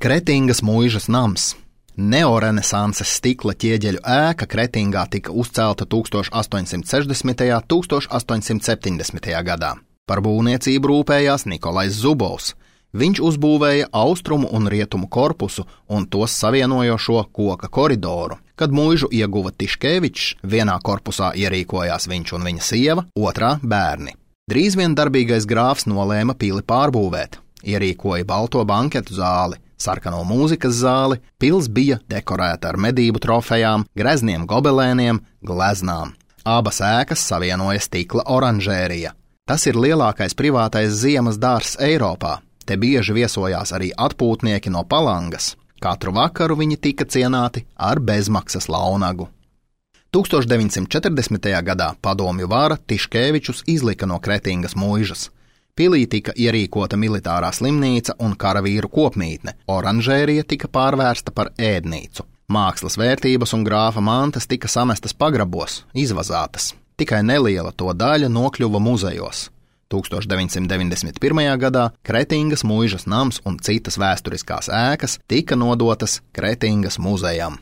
Kretingas muižas nams. Neorenesanses stikla ķieģeļu ēka Kretingā tika uzcelta 1860. un 1870. gadā. Par būvniecību rūpējās Nikolais Zubovs. Viņš uzbūvēja austrumu un rietumu korpusu un tos savienojošo koka koridoru. Kad muižu ieguva Tiškevičs, vienā korpusā ierīkojās viņš un viņa sieva, otrā bērni. Drīz vien darbīgais grāfs nolēma pili pārbūvēt. Ierīkoja balto banketu zāli, sarkano mūzikas zāli, pils bija dekorēta ar medību trofejām, grezniem gobelēniem, gleznām. Abas ēkas savienoja stikla oranžērija. Tas ir lielākais privātais ziemas dārzs Eiropā. Te bieži viesojās arī atpūtnieki no Palangas. Katru vakaru viņi tika cienāti ar bezmaksas launagu. 1940. gadā padomju vara Tiškevičus izlika no Kretingas muižas. Pilī tika ierīkota militārā slimnīca un karavīru kopmītne, oranžērija tika pārvērsta par ēdnīcu. Mākslas vērtības un grāfa mantas tika samestas pagrabos, izvazātas. Tikai neliela to daļa nokļuva muzejos. 1991. gadā Kretingas muižas nams un citas vēsturiskās ēkas tika nodotas Kretingas muzejam.